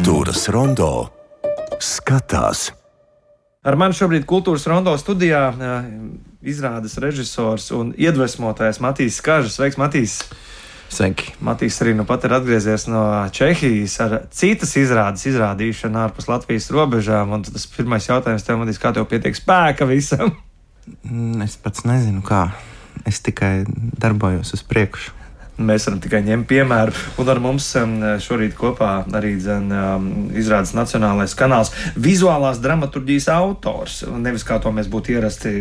Kultūras rondo skatās. Ar mani šobrīd Kultūras rondo studijā izrādes režisors un iedvesmotājs Matīs Kažs. Sveiks, Matīs! Sveiki! Matīs arī nu pat ir atgriezies no Čehijas ar citas izrādes izrādīšanu ārpus Latvijas robežām. Un tas pirmais jautājums tev, Matīs, kā tev pietiek spēka visam? Es pats nezinu, kā. Es tikai darbojos uz priekšu. Mēs varam tikai ņemt piemēru. Un ar mums šorīt kopā arī izrādes Nacionālais kanāls vizuālās dramaturģijas autors. Nevis kā to mēs būtu ierasti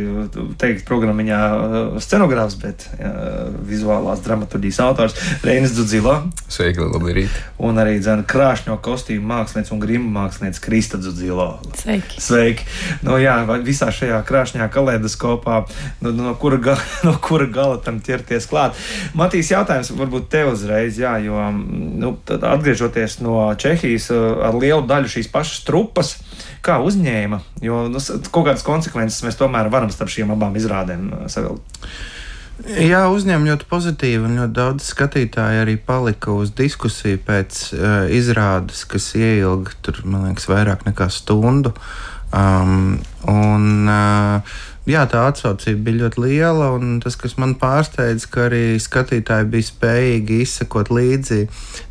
teikt programmiņā scenogrāfs, bet vizuālās dramaturģijas autors Reinis Dzudzilo. Sveiki, labi rīt. Un arī krāšņo kostīmu mākslinieks un grimu mākslinieks Krista Dzudzilo. Sveiki. Sveiki. Nu jā, visā šajā krāšņā kaleidoskopā, no kura gala tam ķerties klāt. Matīs, jautājums varbūt tev uzreiz, jā, jo atgriežoties no Čehijas ar lielu daļu šīs pašas trupas, kā uzņēma, jo kaut kādas konsekvences mēs tomēr varam starp šīm abām izrādēm savilkt. Jā, uzņēma ļoti pozitīvi, un ļoti daudz skatītāji arī palika uz diskusiju pēc izrādes, kas ieilga tur, man liekas, vairāk nekā stundu. Jā, tā atsaucība bija ļoti liela, un tas, kas man pārsteidz, ka arī skatītāji bija spējīgi izsekot līdzi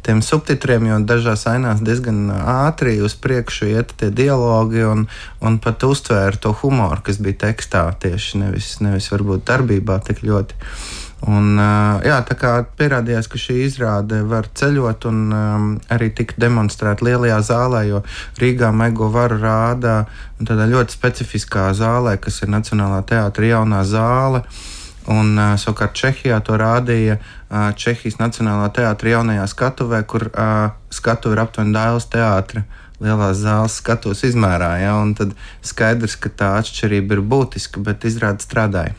tiem subtitriem, jo dažās ainās diezgan ātri uz priekšu iet tie dialogi un pat uztvēra to humoru, kas bija tekstā tieši, nevis varbūt darbībā tik ļoti. Un, jā, tā kā pierādījās, ka šī izrāde var ceļot un arī tika demonstrēta lielajā zālē, jo Rīgā Mego varu rādā tādā ļoti specifiskā zālē, kas ir Nacionālā teātra jaunā zāle, un savukārt Čehijā to rādīja Čehijas Nacionālā teātra jaunajā skatuvē, kur skatuve ir aptuveni Dailes teātra lielās zāles skatos izmērā, ja, un tad skaidrs, ka tā atšķirība ir būtiska, bet izrāde strādāja.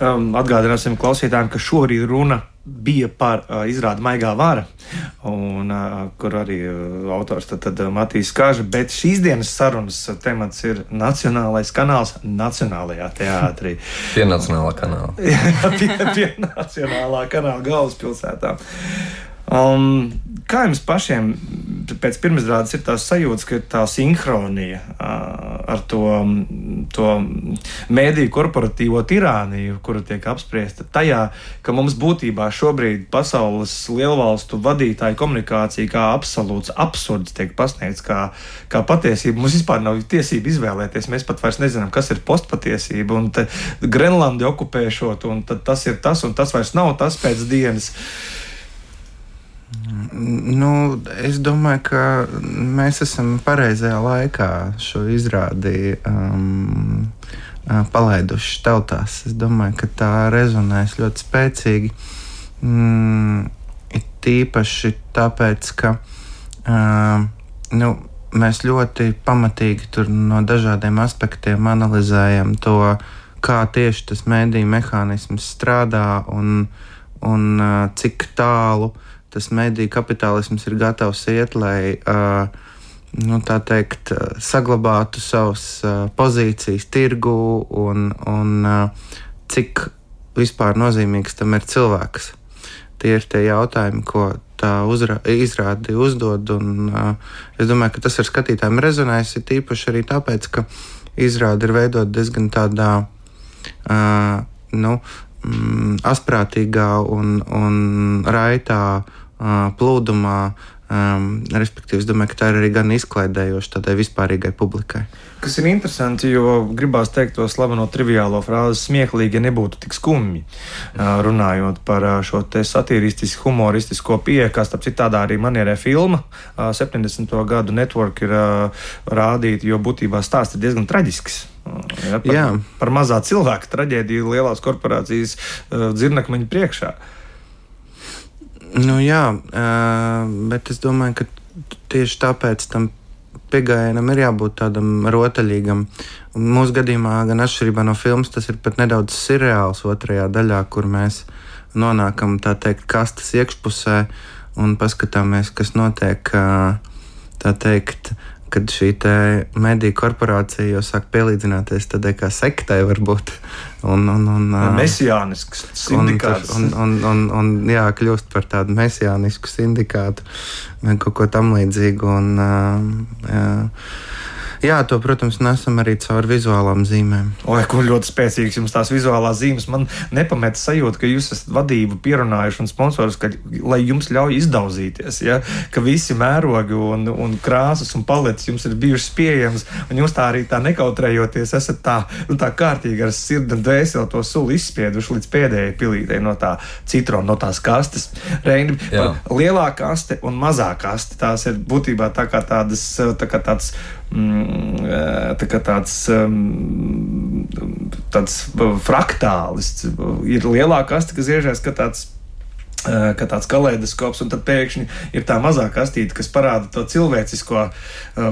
Atgādināsim klausītājiem, ka šorīt runa bija par izrādi Maigā vara, un kur arī autors tad Matīs Kažs, bet šīs dienas sarunas temats ir Nacionālais kanāls Nacionālajā teātrī. Pie Nacionālā kanāla. pie Nacionālā kanāla galvaspilsētā. Kā jums pašiem pēc pirmizrādes ir tās sajūtas, ka ir tā sinhronija ar to mēdīju korporatīvo tirāniju, kura tiek apspriesta tajā, ka mums būtībā šobrīd pasaules lielvalstu vadītāju komunikācija kā absolūts absurds tiek pasniegts kā patiesība. Mums vispār nav tiesība izvēlēties. Mēs pat vairs nezinām, kas ir postpatiesība, un Grenlandi okupēšot, un tad tas ir tas, un tas vairs nav tas pēc dienas. Es domāju, ka mēs esam pareizajā laikā šo izrādi palaiduši tautās. Es domāju, ka tā rezonēs ļoti spēcīgi. Ir tīpaši tāpēc, ka mēs ļoti pamatīgi tur no dažādiem aspektiem analizējam to, kā tieši tas mēdīju mehānisms strādā un cik tālu tas mediju kapitālisms ir gatavs iet, lai, tā teikt, saglabātu savas pozīcijas tirgu un cik vispār nozīmīgs tam ir cilvēks. Tie ir tie jautājumi, ko tā izrāde uzdod, un es domāju, ka tas ar skatītājiem rezonēs, ir tīpaši arī tāpēc, ka izrāde ir veidot diezgan tādā, asprātīgā un raitā plūdumā, respektīvi, es domāju, ka tā ir arī gan izklaidējoša tādai vispārīgai publikai. Kas ir interesanti, jo gribās teikt to slaveno triviālo frāzi smieklīgi, ja nebūtu tik skumji, runājot par šo te satīristiski humoristisko pieeju, kā starp citādā arī manierē filma 70. gadu Network ir rādīta, jo būtībā stāsts ir diezgan traģisks. Par mazā cilvēka traģēdiju lielās korporācijas dzirnakmeņu priekšā. Bet es domāju, ka tieši tāpēc tam pieejamam ir jābūt tādam rotaļīgam. Mūsu gadījumā, gan atšķirībā no filmas, tas ir pat nedaudz sirreāls otrajā daļā, kur mēs nonākam, tā teikt, kastes iekšpusē un paskatāmies, kas notiek, tā teikt, kad šī mediju korporācija jau sāk pielīdzināties tādai kā sektai varbūt. Mesijānisks sindikāts. Jā, kļūst par tādu mesijānisku sindikātu vai kaut ko tam līdzīgu. Jā, to, protams, nesam arī caur vizuālām zīmēm. Oi, ko ļoti spēcīgs jums tās vizuālās zīmes. Man nepamēta sajūta, ka jūs esat vadību pierunājuši un sponsorus, lai jums ļauj izdauzīties, ja? Ka visi mērogi un krāsas un paletes jums ir bijušas pieejamas, un jūs tā arī tā nekautrējoties esat tā kārtīgi ar sirdi un dvēseli to suli izspieduši līdz pēdējai pilītei no tā citrona, no tās kastes. Reini, lielā kaste un mazā kaste, tās ir būtībā tā kā tāds fraktālis. Ir lielā kaste, kas iežās, ka tāds kaleidoskops, un tad pēkšņi ir tā mazā kastīte, kas parāda to cilvēcisko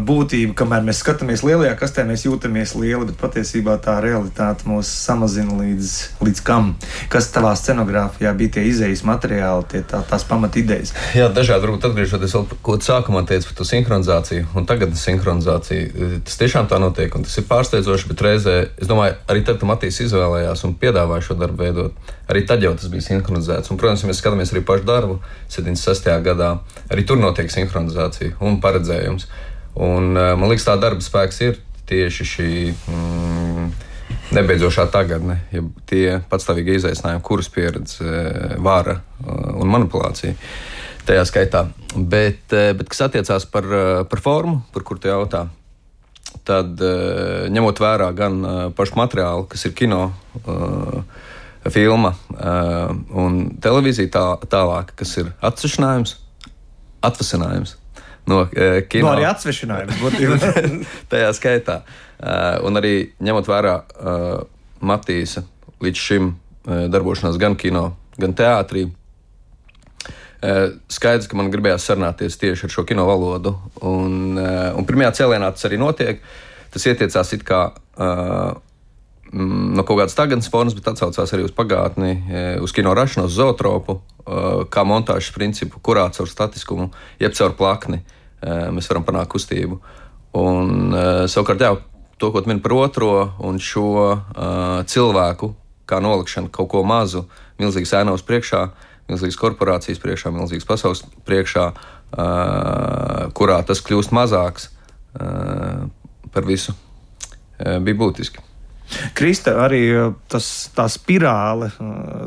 būtību. Kamēr mēs skatāmies lielajā kastē, mēs jūtamies lieli, bet patiesībā tā realitāte mūs samazina līdz kam? Kas tavā scenogrāfijā bija tie izējas materiāli, tās pamat idejas? Jā, dažādi varbūt atgriežoties vēl, ko sākumā teicu par to sinhronizāciju un tagad sinhronizāciju. Tas tiešām tā notiek, un tas ir pārsteidzoši, bet reizē, es domāju, arī tad, kad Matīs izvēlējās un piedāvāja šo darbu veidot, arī tad jau tas bija sinhronizēts. Un, protams, ja mēs skatāmies arī pašu darbu 76. gadā, arī tur notiek sinhronizācija un paredzējums. Un man liekas, tā darba spēks ir tieši šī nebeidzošā tagadne, ja tie patstāvīgi izaicinājumi, kurus pieredze vara un manipulācija tajā skaitā. Bet kas attiecās par formu, par kur tu jautā, tad ņemot vērā gan pašu materiālu, kas ir kino, filma un televīzija tālāk, kas ir atvasinājums no kino. No arī atsvešanājums. Tajā skaitā. Un arī ņemot vērā Matīsa līdz šim darbošanās gan kino, gan teātrī, skaidrs, ka man gribējās sarunāties tieši ar šo kino valodu. Un pirmajā cēlienā tas arī notiek. Tas ietiecās it kā no kaut kādas tagadnes formas, bet atsaucās arī uz pagātni, uz kino rašanos, zootropu, kā montāžas principu, kurā caur statiskumu, jeb caur plakni mēs varam panākt kustību. Un savukārt, jā, to, ko tu mini par otro un šo cilvēku, kā nolikšanu kaut ko mazu, milzīgas ēnavas priekšā, milzīgas korporācijas priekšā, milzīgas pasaules priekšā, kurā tas kļūst mazāks par visu, bija būtiski. Krista, arī tā spirāle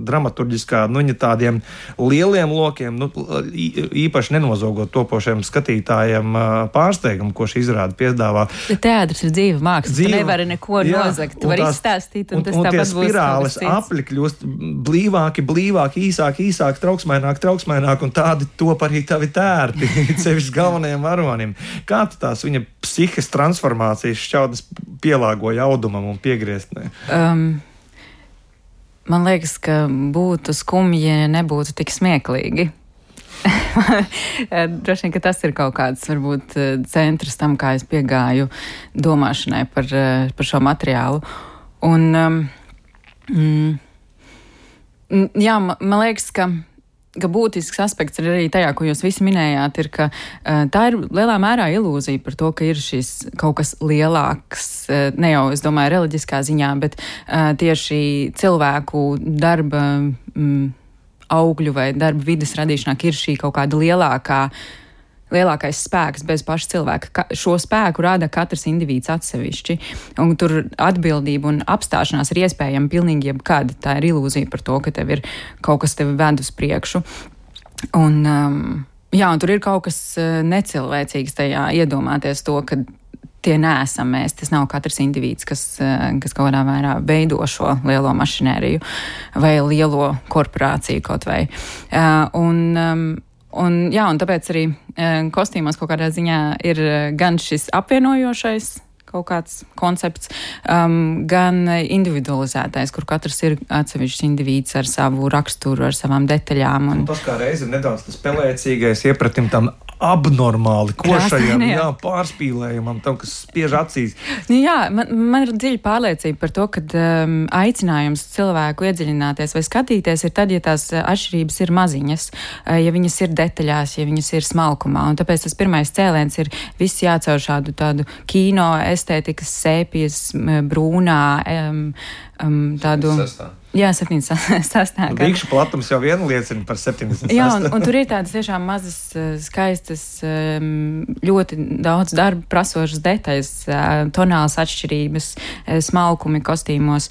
dramaturģiskā, viņa tādiem lieliem lokiem, īpaši nenozogot topošiem skatītājiem pārsteigumu, ko šī izrāde piedāvā. Teātris ir dzīva māksla, tu nevari neko nozagt, tu vari izstāstīt, un tas tāpat būs. Un tie spirāles apli kļūst blīvāki, īsāki, trauksmaināk, un tādi top arī tavi tērti, sevišķi galvenajiem varonim. Kā tu tās viņa psihes transformācijas šķautnes pielāgoja audumam un piegrieztnē? Man liekas, ka būtu skumji, ja nebūtu tik smieklīgi. Droši vien, ka tas ir kaut kāds, varbūt, centrs tam, kā es piegāju domāšanai par šo materiālu. Un, jā, man liekas, ka būtisks aspekts ir arī tajā, ko jūs visi minējāt, ir, ka tā ir lielā mērā ilūzija par to, ka ir šis kaut kas lielāks, ne jau, es domāju, reliģiskā ziņā, bet tieši cilvēku darba augļu vai darba vides radīšanā ir šī kaut kāda lielākais spēks bez paša cilvēka. Šo spēku rada katrs indivīds atsevišķi, un tur atbildība un apstāšanās ir iespējama pilnīgi jebkad. Tā ir ilūzija par to, ka tev ir kaut kas tevi ved uz priekšu. Un, jā, un tur ir kaut kas necilvēcīgs tajā iedomāties to, ka tie neesam mēs. Tas nav katrs indivīds, kas kaut kādā mērā veido šo lielo mašinēriju vai lielo korporāciju kaut vai. Un tāpēc arī kostīmos kaut kādā ziņā ir gan šis apvienojošais kaut kāds koncepts, gan individualizētais, kur katrs ir atsevišķs indivīds ar savu raksturu, ar savām detaļām. Un tas kā reiz ir nedaudz tas pelēcīgais iepratim tam abnormāli košajam, Krāsainajam. pārspīlējumam, tam, kas spiež acīs. Nu, jā, man ir dziļa pārliecība par to, ka aicinājums cilvēku iedziļināties vai skatīties ir tad, ja tās atšķirības ir maziņas, ja viņas ir detaļās, ja viņas ir smalkumā. Un tāpēc tas pirmais cēliens ir viss jācaur šādu tādu kino estētikas sēpjas, brūnā, tādu... Jā, 76. Rīkšu platums jau viena liecina par 76. Jā, un tur ir tādas tiešām mazas, skaistas, ļoti daudz darba prasošas detaļas, tonālas atšķirības, smalkumi kostīmos.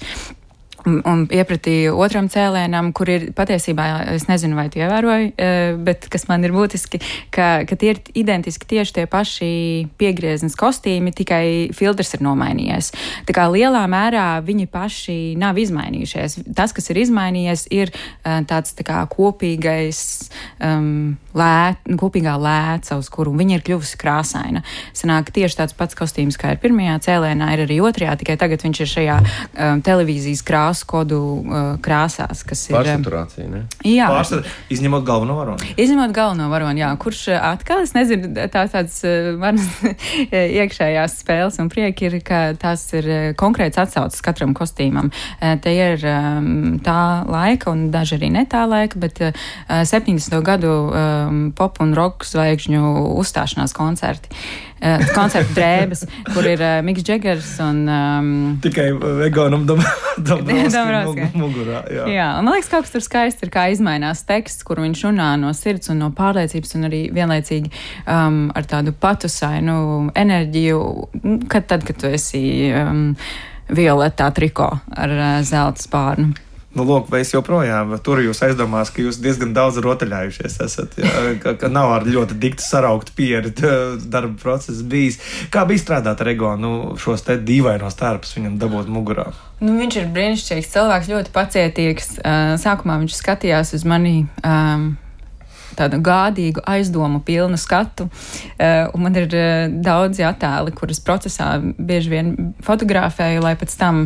Un iepratī otram cēlēnam, kur ir patiesībā, es nezinu, vai tu ievēroji, bet kas man ir būtiski, ka tie ir identiski tieši tie paši piegrieznes kostīmi, tikai filtrs ir nomainījies. Tā kā lielā mērā viņi paši nav izmainījušies. Tas, kas ir izmainījies, ir tāds tā kā kopīgā lēca, uz kuru viņa ir kļuvusi krāsaina. Sanāk tieši tāds pats kostīms, kā ir pirmajā cēlēnā, ir arī otrajā, tikai tagad viņš ir šajā televīzijas krāsu kodu krāsās, kas ir... Pārsaturācija, ne? Jā. Izņemot galveno varoni. Izņemot galveno varoni, jā. Kurš atkal, es nezinu, tāds manas iekšējās spēles un prieki ir, ka tās ir konkrēts atsauces katram kostīmam. Te ir tā laika un daži arī ne tā laika, bet 70. gadu pop un rock zvaigžņu uzstāšanās koncerti. Koncertu drēbes, kur ir Miks Džegers un... Tikai Egonam Dombrovskim mugurā. Jā, un man liekas, kaut kas tur skaisti ir, kā izmainās teksts, kur viņš runā no sirds un no pārliecības un arī vienlaicīgi ar tādu patusainu enerģiju, kad tu esi violetā triko ar zelta spārnu. Nu, lūk, vai es joprojām turu jūs aizdomās, ka jūs diezgan daudz rotaļājušies esat, ka nav ar ļoti dikti sarauktu pieri darba process bijis. Kā bija strādāt ar Egonu, šos te dīvainos tērpus viņam dabūt mugurā? Nu, viņš ir brīnišķīgs cilvēks, ļoti pacietīgs. Sākumā viņš skatījās uz mani tādu gādīgu, aizdomu pilnu skatu. Un man ir daudzi attēli, kuras procesā bieži vien fotografēju, lai pēc tam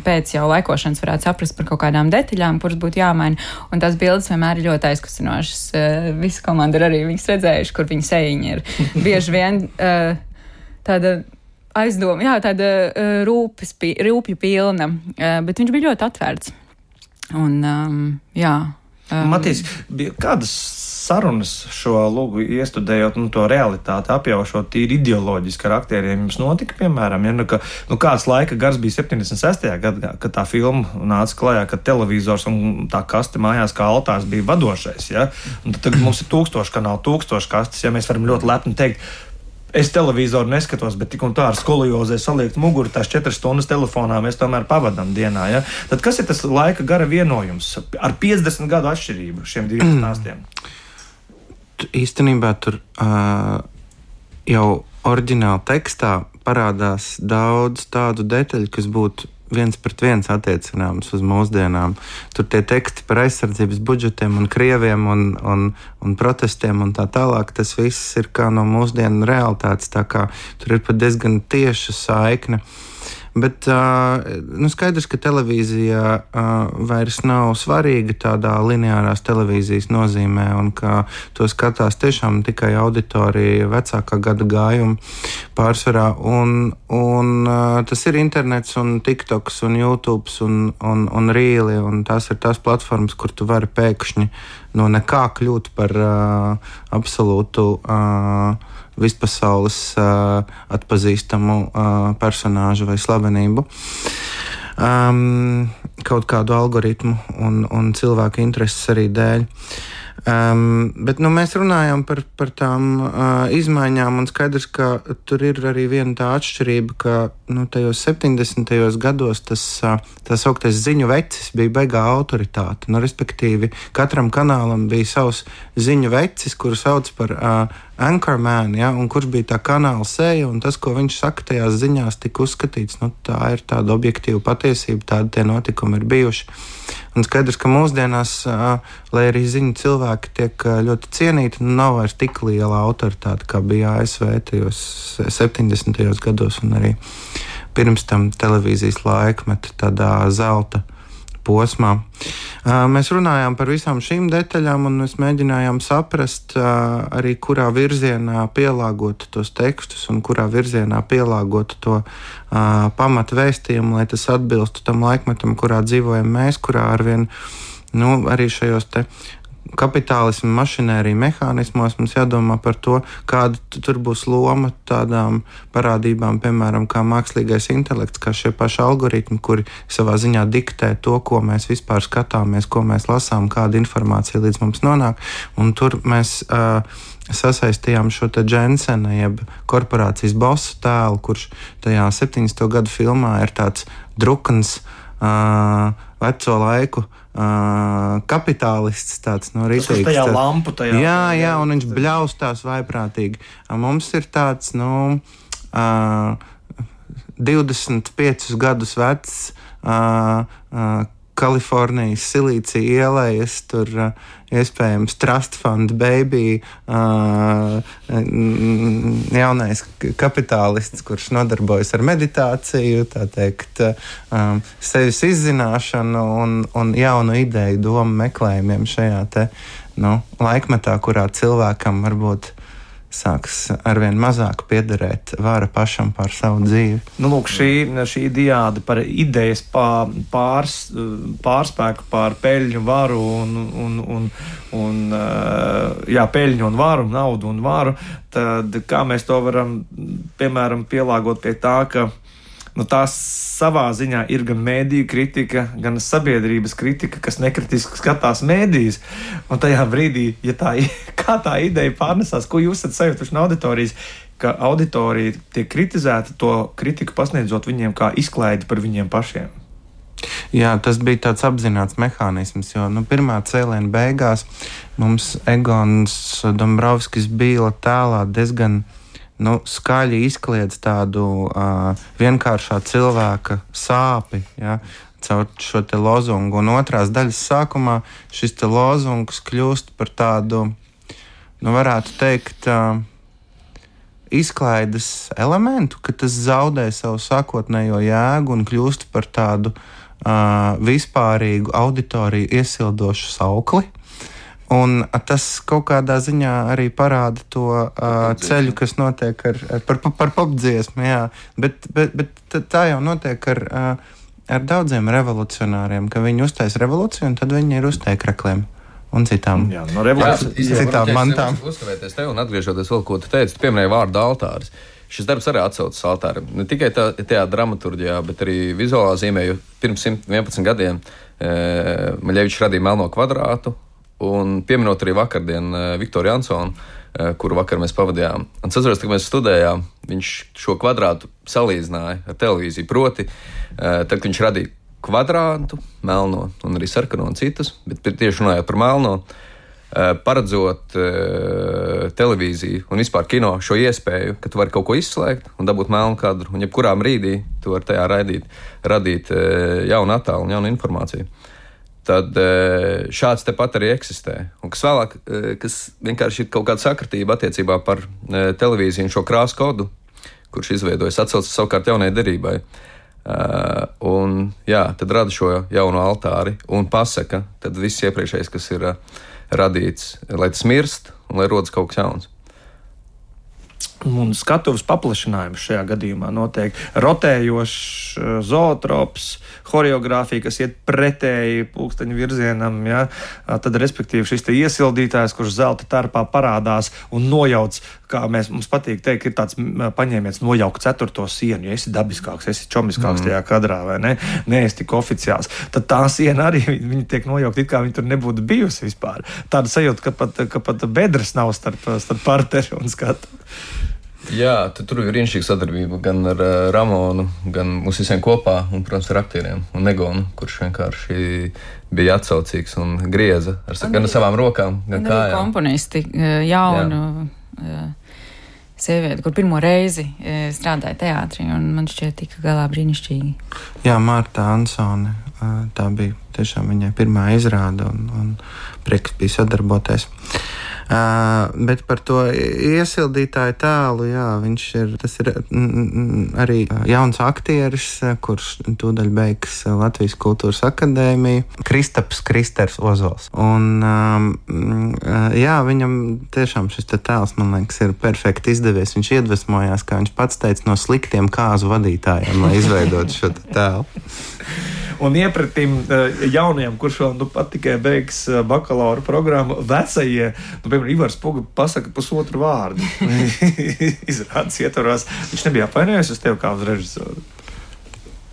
pēc jau laikošanas varētu saprast par kaut kādām detaļām, kuras būtu jāmaina. Un tās bildes vienmēr ir ļoti aizkustinošas. Visa komanda ir arī viņas redzējuši, kur viņa sejiņa ir. Bieži vien tāda aizdoma, jā, tāda rūpju pilna, bet viņš bija ļoti atvērts. Un, jā. Matīs, kādas sarunas šo lūgu iestudējot, to realitāti apjaušot tīri ideoloģiski ar aktieriem jums notika, piemēram, kāds laika gars bija 76. gadā, kad tā filma nāca klajā, kad televizors un tā kaste mājās kā altārs bija vadošais, ja? Un tad mums ir 1000 kanāli, 1000 kastes, ja mēs varam ļoti lepni teikt, es televizoru neskatos, bet tik un tā ar skoliozē saliekt muguru, tās 4 stundas telefonā mēs tomēr pavadām dienā. Ja? Tad kas ir tas laika gara vienojums ar 50 gadu atšķirību šiem diviem stāstiem? Īstenībā tur jau oriģināla tekstā parādās daudz tādu detaļu, kas būtu 1:1 attiecināms uz mūsdienām. Tur tie teksti par aizsardzības budžetiem un krieviem un protestiem un tā tālāk, tas viss ir kā no mūsdienu realitātes, tā kā tur ir pat diezgan tieša saikne. Bet skaidrs, ka televīzija vairs nav svarīga tādā lineārās televīzijas nozīmē un ka to skatās tiešām tikai auditorija vecākā gada gājuma pārsvarā. Un tas ir internets un TikToks un YouTube un Rīli, un tās ir tās platformas, kur tu vari pēkšņi no nekā kļūt par absolūtu vispasaules atpazīstamu personāžu vai slavenību. Kaut kādu algoritmu un cilvēku intereses arī dēļ. Bet mēs runājam par tām izmaiņām, un skaidrs, ka tur ir arī viena tā atšķirība, ka tajos 70. gados tas augtais ziņu vecis bija baigā autoritāte. Respektīvi, katram kanālam bija savs ziņu vecis, kuru sauc par Anchorman, ja, un kurš bija tā kanāla seja, un tas, ko viņš saka tajās ziņās, tika uzskatīts, tā ir tāda objektīva patiesība, tādi tie notikumi ir bijuši. Un skaidrs, ka mūsdienās, lai arī ziņu cilvēki tiek ļoti cienīti, nav vairs tik liela autoritāte, kā bija ASV tajos 70. gados un arī pirms tam televīzijas laikmeta tādā zelta posmā. Mēs runājām par visām šīm detaļām, un mēs mēģinājām saprast arī, kurā virzienā pielāgot tos tekstus un kurā virzienā pielāgot to pamatu vēstījumu, lai tas atbilstu tam laikmetam, kurā dzīvojam mēs, kurā arvien arī šajos te kapitālismu mašinēriju mehānismos mums jādomā par to, kāda tur būs loma tādām parādībām, piemēram, kā mākslīgais intelekts, kā šie paši algoritmi, kuri savā ziņā diktē to, ko mēs vispār skatāmies, ko mēs lasām, kāda informācija līdz mums nonāk. Un tur mēs sasaistījām šo te Jensena, jeb korporācijas bosu tēlu, kurš tajā 70. gadu filmā ir tāds drukans, veco laiku kapitālists, tāds rītīgs. Tas tajā lampu tajā. Jā, un viņš bļaustās vaiprātīgi. Mums ir tāds, 25 gadus vecs Kalifornijas Silīcija ielejas, tur iespējams Trust Fund Baby, jaunais kapitālists, kurš nodarbojas ar meditāciju, tā teikt, sevis izzināšanu un jaunu ideju domu meklējumiem šajā te, laikmetā, kurā cilvēkam varbūt sāks arvien mazāk piederēt vara pašam par savu dzīvi. Lūk, šī diāde par idejas pārspēku pār peļņu, varu peļņu un varu, naudu un varu, tad kā mēs to varam, piemēram, pielāgot pie tā, ka tās savā ziņā ir gan mēdīju kritika, gan sabiedrības kritika, kas nekritiski skatās mēdījus. Un tajā brīdī, kā tā ideja pārnesās, ko jūs esat sajutuši no auditorijas, ka auditorija tiek kritizēta, to kritiku pasniedzot viņiem kā izklaidi par viņiem pašiem. Jā, tas bija tāds apzināts mehānisms, jo pirmā cēliena beigās mums Egons Dombrovskis bija tēlā diezgan skaļi izkliedz tādu vienkāršā cilvēka sāpi, caur šo te lozungu. Un otrās daļas sākumā šis te lozungs kļūst par tādu, varētu teikt, izklaides elementu, ka tas zaudē savu sākotnējo jēgu un kļūst par tādu vispārīgu auditoriju iesildošu saukli. Un tas kaut kādā ziņā arī parāda to ceļu, kas notiek par popdziesmu, jā. Bet tā jau notiek ar daudziem revolucionāriem, ka viņi uztais revolūciju un tad viņi ir uz tēkrakliem un citām mantām. Uzskavēties tev un atgriežoties vēl, ko tu teici, tu pieminēji vārdu altāris. Šis darbs arī atsaucas altāram. Ne tikai tajā dramaturģijā, bet arī vizuālā zīmē, jo pirms 111 gadiem Maļevičs radīja Melno kvadrātu, un pieminot arī vakardien Viktoru Jansonu, kuru vakar mēs pavadījām. Un atceros, kad mēs studējām, viņš šo kvadrātu salīdzināja ar televīziju. Proti, tad, kad viņš radīja kvadrātu, melno un arī sarkano un citus, bet tieši runājot par melno, paredzot televīziju un vispār kino šo iespēju, ka tu vari kaut ko izslēgt un dabūt melnu kadru, un jebkurā brīdī tu vari tajā radīt jaunu attēlu un jaunu informāciju. Tad šāds tepat arī eksistē. Un kas vēlāk, kas vienkārši ir kaut kāda sakritība attiecībā par televīziju un šo krāsu kodu, kurš izveidojas, atsaucas savukārt jaunai derībai. Tad rada šo jauno altāri un pasaka, tad viss iepriekšējais, kas ir radīts, lai tas mirst un lai rodas kaut kas jauns. Un skatuves paplašinājums šajā gadījumā notiek rotējošs zootrops, horeogrāfija, kas iet pretēji pulksteņu virzienam, tad respektīvi šis te iesildītājs, kurš zelta tarpā parādās un nojauc, kā mums patīk teikt, ir tāds paņēmiens nojaukt ceturto sienu, ja esi dabiskāks, esi čomiskāks tajā kadrā, vai ne, neesi tik oficiāls, tad tā siena arī, viņa tiek nojaukt, it kā viņa tur nebūtu bijusi vispār. Tāda sajūta, ka pat bedres nav starp parteri un skatu. Jā, tur ir brīnišķīga sadarbība gan ar Ramonu, gan mums visiem kopā, un, protams, ar aktieriem un Negonu, kurš vienkārši bija atsaucīgs un grieza gan ar savām rokām, gan kājām. Komponisti, jaunu sievieti, kur pirmo reizi strādāja teātrī, un man šķiet tika galā brīnišķīgi. Jā, Marta Ansone, tā bija tiešām viņai pirmā izrāda, un prieks bija sadarboties. Bet par to iesildītāju tēlu, jā, tas ir arī jauns aktieris, kurš tūdaļ beigs Latvijas Kultūras akadēmiju, Kristers Ozols. Un, jā, viņam tiešām šis tēls, man liekas, ir perfekti izdevies. Viņš iedvesmojās, kā viņš pats teica, no sliktiem kāzu vadītājiem, lai izveidotu šo tēlu. Un iepratīm jaunajiem, kurš vēl pat tikai beigs bakalaura programmu, vecajie, piemēram, Ivars Puga pasaka pusotru vārdu. Izrādes ietvaros. Viņš nebija apvainojies uz tevi kā uz režisoru.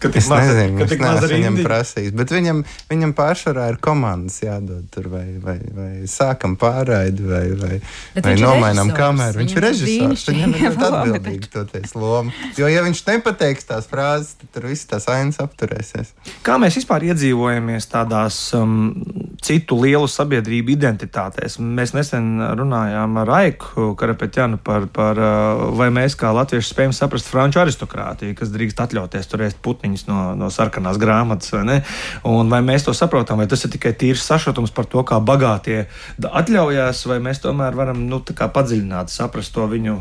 Es nezinu, viņš neesmu viņam prasījis, bet viņam pārsvarā ir komandas jādod tur, vai sākam pārraidi, vai nomainām kameru. Viņš ir režisors, viņam ir ļoti atbildīgi toties loma. Jo, ja viņš nepateiks tās frāzes, tad tur viss tās ainas apturēsies. Kā mēs vispār iedzīvojamies tādās citu lielu sabiedrību identitātēs? Mēs nesen runājām ar Aiku Karapetjanu par vai mēs kā latvieši spējam saprast franču aristokrātiju, kas drīkst atļauties turēt putniņus no sarkanās grāmatas, vai ne? Un vai mēs to saprotam, vai tas ir tikai tīrs sašutums par to, kā bagātie atļaujās, vai mēs tomēr varam, tā kā padziļināt, saprast to viņu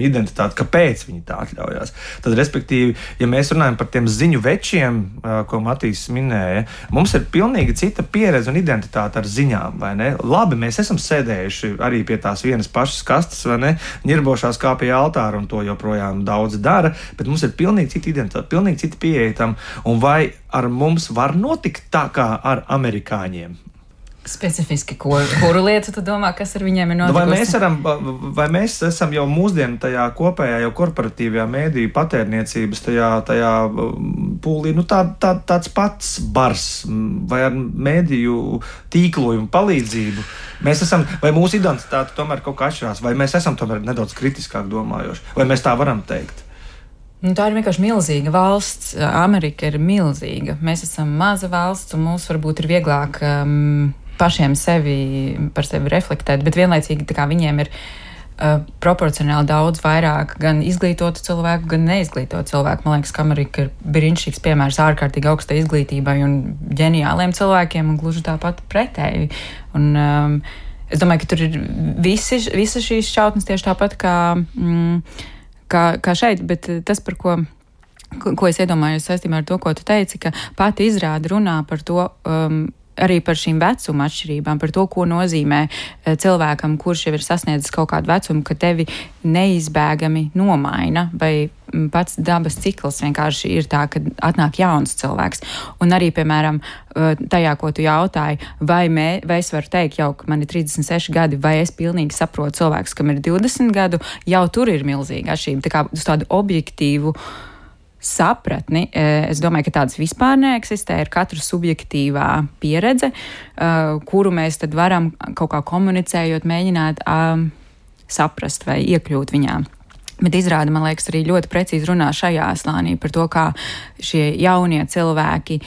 identitāti, kāpēc viņi tā atļaujās. Tad, respektīvi, ja mēs runājam par tiem ziņu večiem, ko Matīs minēja, mums ir pilnīgi cita pieredze un identitāte ar ziņām, vai ne? Labi, mēs esam sēdējuši arī pie tās vienas pašas kastes, vai ne? Ņirbošās kā pie altāra, un to joprojām daudz dara, bet mums ir pilnīgi cita identitāte, pilnīgi cita pieeja tam, un vai ar mums var notikt tā kā ar amerikāņiem? Specifiski, kuru lietu tu domā, kas ar viņiem ir notikusi? Vai mēs esam jau mūsdienu tajā kopējā, jau korporatīvajā mēdīju patērniecības tajā pūlī, tāds pats bars, vai ar mēdīju tīklojumu palīdzību? Vai mūsu identitāte tomēr kaut kā atšķirās, vai mēs esam tomēr nedaudz kritiskāk domājoši, vai mēs tā varam teikt? Tā ir vienkārši milzīga valsts. Amerika ir milzīga. Mēs esam maza valsts, un mums varbūt ir vieglāk pašiem par sevi reflektēt, bet vienlaicīgi viņiem ir proporcionāli daudz vairāk gan izglītotu cilvēku, gan neizglītotu cilvēku. Man liekas, ka Amerika ir brīnišķīgs piemērs ārkārtīgi augstai izglītībai un ģeniāliem cilvēkiem, un gluži tāpat pretēji. Un, es domāju, ka tur ir visas šīs šķautnes tieši tāpat kā šeit, bet tas, par ko es iedomājos saistībā ar to, ko tu teici, ka pati izrāde runā par to, arī par šīm vecuma atšķirībām, par to, ko nozīmē cilvēkam, kurš jau ir sasniedzis kaut kādu vecumu, ka tevi neizbēgami nomaina, vai pats dabas cikls vienkārši ir tā, ka atnāk jauns cilvēks. Un arī, piemēram, tajā, ko tu jautāji, vai es varu teikt jau, ka man ir 36 gadi, vai es pilnīgi saprotu cilvēkus, kam ir 20 gadu, jau tur ir milzīga atšķirība. Tā kā uz tādu objektīvu sapratni, es domāju, ka tādas vispār neeksistē, ir katra subjektīvā pieredze, kuru mēs tad varam kaut kā komunicējot, mēģināt saprast vai iekļūt viņā. Bet izrāda, man liekas, arī ļoti precīzi runā šajā slānī par to, kā šie jaunie cilvēki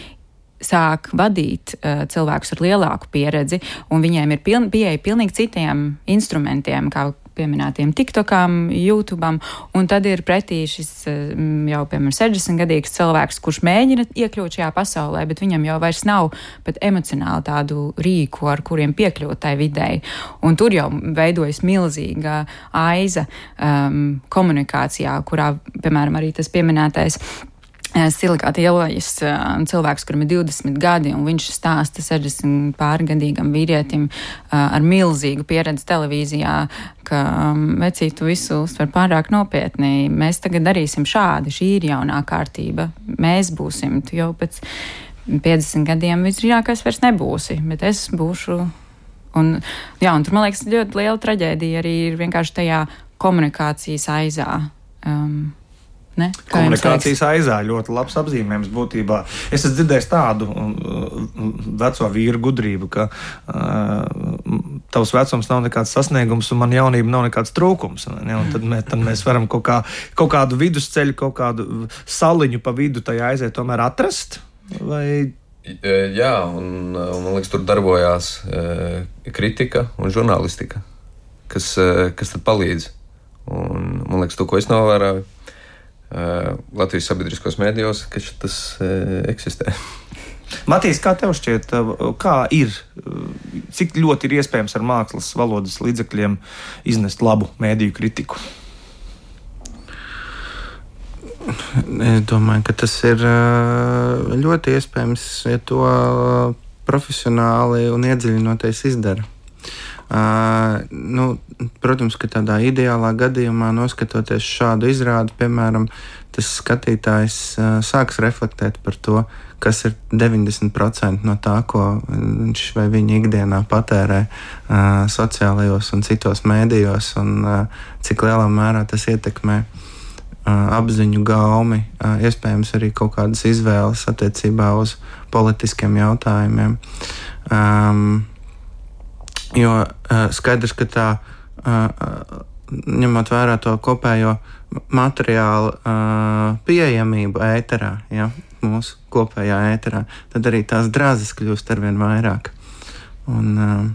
sāk vadīt cilvēkus ar lielāku pieredzi, un viņiem ir pieeja pilnīgi citiem instrumentiem, kā pieminētiem TikTokam, YouTubeam, un tad ir pretī šis jau, piemēram, 60-gadīgs cilvēks, kurš mēģina iekļūt šajā pasaulē, bet viņam jau vairs nav pat emocionāli tādu rīku, ar kuriem piekļūt tai videi. Un tur jau veidojas milzīga aiza komunikācijā, kurā, piemēram, arī tas pieminētais Silikāta ielas cilvēks, kuram ir 20 gadi, un viņš stāsta 60 pārgadīgam vīrietim ar milzīgu pieredzi televīzijā, ka vecīt, tu visu uztver pārāk nopietni. Mēs tagad darīsim šādi, šī ir jaunā kārtība. Mēs būsim, tu jau pēc 50 gadiem visdrīzākais vairs nebūsi, bet es būšu. Un tur, man liekas, ļoti liela traģēdija arī ir vienkārši tajā komunikācijas aizā. Komunikācijas aizā ļoti labs apzīmējums būtībā. Es esmu dzirdējis tādu veco vīru gudrību, ka tavs vecums nav nekāds sasniegums un man jaunība nav nekāds trūkums. Ne? Un tad mēs varam kaut kādu vidusceļu, kaut kādu saliņu pa vidu tajā aiziet tomēr atrast? Vai... Jā, un man liekas, tur darbojās kritika un žurnālistika, kas tad palīdz. Un man liekas, to, ko es novēroju, Latvijas sabiedriskos mēdījos, ka tas eksistē. Matīs, kā tev šķiet, kā ir, cik ļoti ir iespējams ar mākslas valodas līdzekļiem iznest labu mēdīju kritiku? Es domāju, ka tas ir ļoti iespējams, ja to profesionāli un iedziļinoties izdara. Protams, ka tādā ideālā gadījumā, noskatoties šādu izrādi, piemēram, tas skatītājs sāks reflektēt par to, kas ir 90% no tā, ko viņš vai viņa ikdienā patērē sociālajos un citos mēdījos, un cik lielā mērā tas ietekmē apziņu, gaumi, iespējams arī kaut kādas izvēles attiecībā uz politiskiem jautājumiem. Jo skaidrs, ka tā, ņemot vērā to kopējo materiālu pieejamību ēterā, ja, mūsu kopējā ēterā, tad arī tās drāzes kļūst arvien vairāk. Un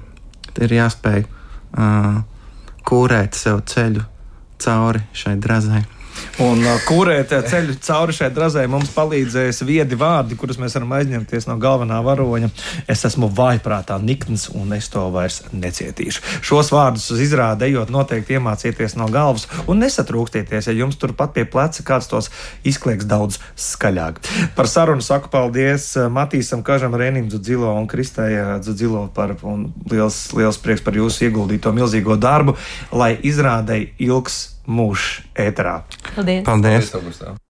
ir jāspēj kūrēt sev ceļu cauri šai drazai. Un kūrēt ceļu cauri šai drazai mums palīdzēs viedi vārdi, kurus mēs varam aizņemties no galvenā varoņa. Es esmu vājprātā nikns, un es to vairs necietīšu. Šos vārdus uz izrādi ejot noteikti iemācieties no galvas un nesatrūkstieties, ja jums turpat pie pleca kāds tos izklieks daudz skaļāk. Par sarunu saku paldies Matīsam Kažam, Renim Dzudzilo un Kristai Dzudzilo un liels prieks par jūsu ieguldīto milzīgo darbu, lai izrādei ilgs mūžs ēterā. Paldies! Paldies. Paldies, Augustā.